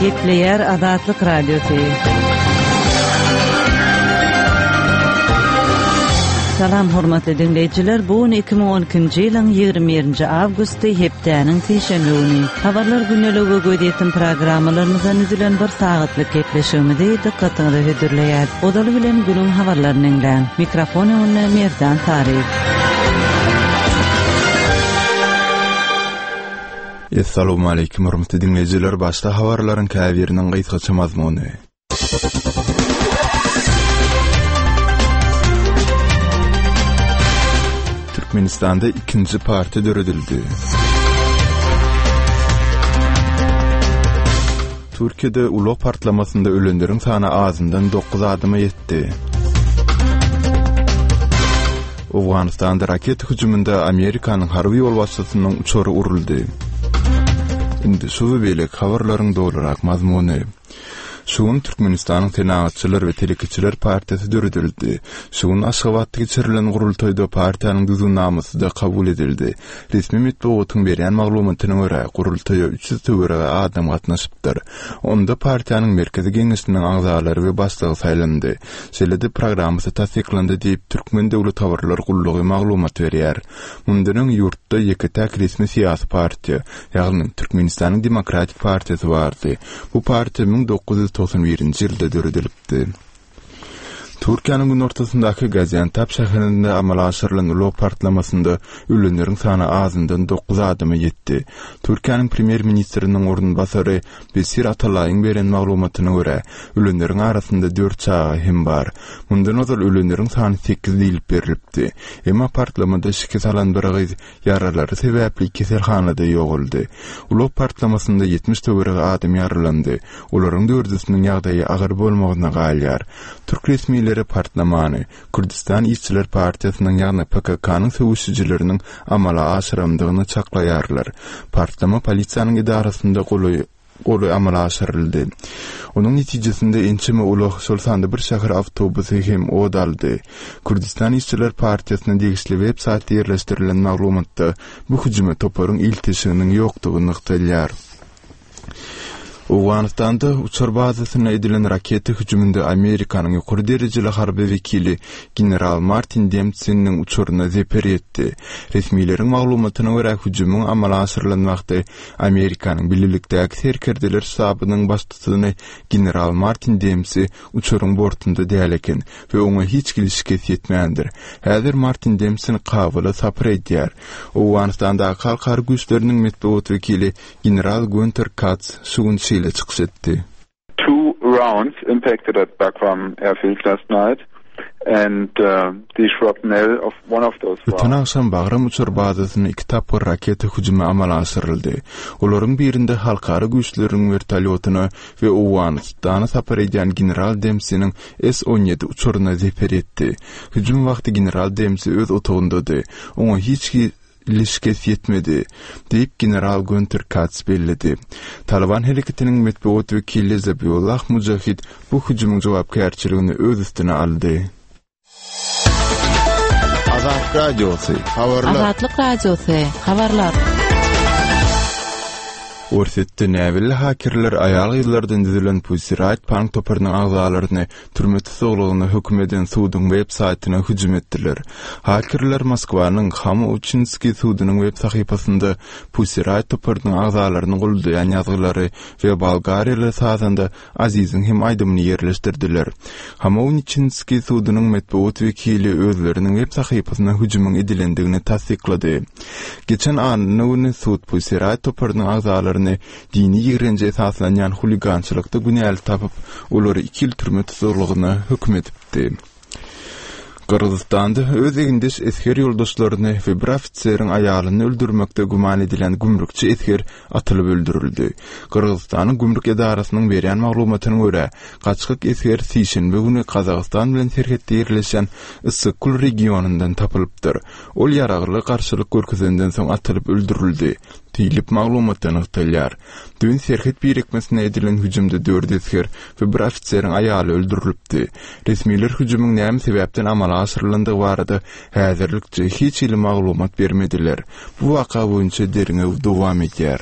Gepleýär Azatlyk Radiosy. Salam hormatly diňleýjiler, bu gün 2012-nji ýylyň 21-nji awgusty, hepdäniň sişenbe güni. Habarlar gündelik we gözýetim programmalarymyzdan düzülen bir sagatlyk gepleşigimizi dykgatyňyza hödürleýäris. Ozaly bilen günüň habarlaryny diňläň. Mikrofon öňünde Merdan Saryýew. Essalawmaleýkim hormatly diňleýjiler, başda habarlaryň käbiriniň gysgaça mazmuny. Türkmenistanda ikinji partiýa döredildi. Türkiýede ulag partlamasynda ölenleriň sany azyndan 9 adama ýetdi. Owganystanda raketa hüjüminde Amerikanyň harby ýolbaşçysynyň uçary uruldy. Indi şu we beýleki habarlaryň dolurak mazmuny. Şu gün Türkmenistanyň Senagatçylar we telekeçiler partiýasy döredildi. Şu gün Aşgabatda geçirilen gurultaýda partiýanyň düzgünnamasy-da kabul edildi. Resmi metbugatyň berýän maglumatyna görä, gurultaýa 300 töweregi adam gatnaşypdyr. Onda partiýanyň Merkezi Geňeşiniň agzalary we başlygy saýlandy. Şeýle-de programmasy tassyklandy diýip, Türkmen döwlet habarlar gullugy maglumat berýär. Mundan öň ýurtda ýeke-täk resmi syýasy partiýa, ýagny Türkmenistanyň Demokratik partiýasy bardy. Bu partiýa 1991-nji ýylda döredilipdi. Türkiýäniň günortasyndaky Gaziantep şäherinde amala aşyrylan ulag partlamasynda ölenleriň sany azyndan dokuz adama ýetdi. Türkiýäniň premýer-ministriniň orunbasary Besir Atalaýyň beren maglumatyna görä, ölenleriň arasynda dört çaga hem bar. Mundan ozal ölenleriň sany sekiz diýlip berlipdi. Emma partlamada şikes alan bir gyz ýaralary sebäpli keselhanada ýogaldy. Ulag partlamasynda 70 töweregi adam ýaralandy. Olaryň dördüsiniň ýagdaýy agyr bolmagyna galýar. Türk resmileri partlamany Kürdüstan işçiler partiýasynyň ýagny PKK-nyň söweşijileriniň amala aşyrandygyny çaklaýarlar. Partlama polisiýanyň edarasynda golaý golaý amala aşyryldy. Onuň netijesinde ençeme ulag, şol sanda bir şäher awtobusy hem ot aldy. Kürdüstan işçiler partiýasyna degişli web saýtda ýerleşdirilen maglumatda bu hüjüme toparyň ilteşiginiň ýokdugy nygtalýar. Owganystanda uçar bazasyna edilen raketa hüjüminde Amerikanyň ýokary derejeli harby wekili general Martin Dempsiniň uçaryna zeper ýetdi. Resmileriň maglumatyna görä, hüjümiň amala aşyrylan wagty Amerikanyň Bilelikdäki serkerdeler ştabynyň baştutany general Martin Dempsi uçaryň bortunda däl eken we oňa hiç hili şikes ýetmändir. Häzir Martin Dempsin Kabula sapar edýär. Owganystandaky halkara güýçleriniň metbugat wekili general Günter Katz şu gün şeýle çykyş etdi. Two rounds impacted at Bagram airfield last night and the shrapnel of one of those rounds. Öten agşam Bagram uçar bazasyna iki tapgyr raketa hüjümi amala aşyryldy. Olaryň birinde halkara güýçleriň wertolýotyna we Owganystana sapar edýän general Dempsiniň S-on ýedi uçaryna zeper ýetdi. Hüjüm wagty general Dempsi öz otagyndady. Oňa hiç hili şikes ýetmedi, diýip, general Günter Katz belledi. Talyban hereketiniň metbugat wekili Zabiullah Mujahid bu hüjümiň jogapkärçiligini öz üstüne aldy. Azatlyk Radiosy, habarlar. Azatlyk Radiosy, habarlar. Orsýetde näbelli hakerler aýal-gyzlardan düzülen Pussy Riot punk toparynyň agzalaryny türme tussaglygyna höküm eden suduň web saýtyna hüjüm etdiler. Hakerler Moskwanyň Hamuçinskiý sudunyň web sahypasynda Pussy Riot toparynyň agzalaryny goldaýan ýazgylary we bolgariýaly sazanda Aziziň hem aýdymyny ýerleşdirdiler. Hamouniçinskiý sudunyň metbugat wekili özleriniň web sahypasyna hüjümiň edilendigini tassyklady. Geçen anna güni sud Pussy Riot toparynyň agzalaryny dini ýigrenje esaslanýan huligançylykda günäli tapyp, olary iki ýyl türme tussaglygyna höküm edipdi. Gyrgyzystanda öz egindeş esger ýoldaşlaryny we bir ofiseriň aýalyny öldürmekde güman edilýän gümrükçi esger atylyp öldürildi. Gyrgyzystanyň gümrük edarasynyň berýän maglumatyna görä, gaçgak esger sişenbe güni Gazagystan bilen serhetde ýerleşýän Yssyk-Kul regionyndan tapylypdyr. Ol ýaragly garşylyk görkezenden soň atylyp öldürildi. Diýlip, maglumatda nygtalýar. Düýn serhet birikmesine edilen hüjümde dört esger we bir ofiseriň aýaly öldürilipdi. Resmiler hüjümiň näme sebäpden amala aşyrylandygy barada häzirlikçe hiç hili maglumat bermediler. Bu waka boýunça derňew dowam edýär.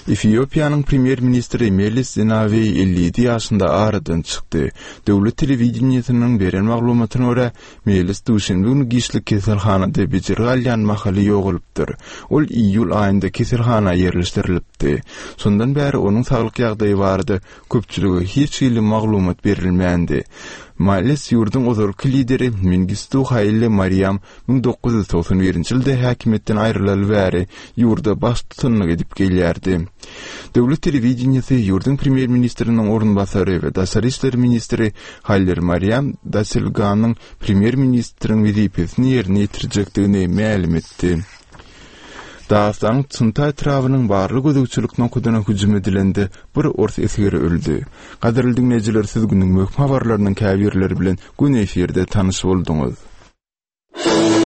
Efiopiýanyň premýer-ministri Meles Zenawi 57 ýaşynda aradan çykdy. Döwlet telewideniýesiniň beren maglumatyna görä, Meles duşenbe güni giçlik keselhanada bejergi alýan mahaly ýogalypdyr. Ol iýul aýynda keselhana ýerleşdirilipdi. Şondan bäri onuň saglyk ýagdaýy barada köpçülige hiç hili maglumat berilmändi. Males ýurduň ozalky lideri Mengistu Haile Mariam 1991-nji ýylda häkimiýetden aýrylaly bäri ýurda baştutanlyk edip gelýärdi. Döwlet telewideniýesi ýurduň premýer-ministriniň orunbasary we daşary işler ministri Haile Mariam Daselganyň premýer-ministriň wezipesini ýerine ýetirjekdigini mälim etdi. Dagystanyň Çynta etrabynyň barly gözegçilik nokadyna hüjüm edilende bir ors esgeri öldi. Gadyrly diňleýjiler siz günüň möhüm habarlarynyň käbirleri bilen göni efirde tanyş bolduňyz.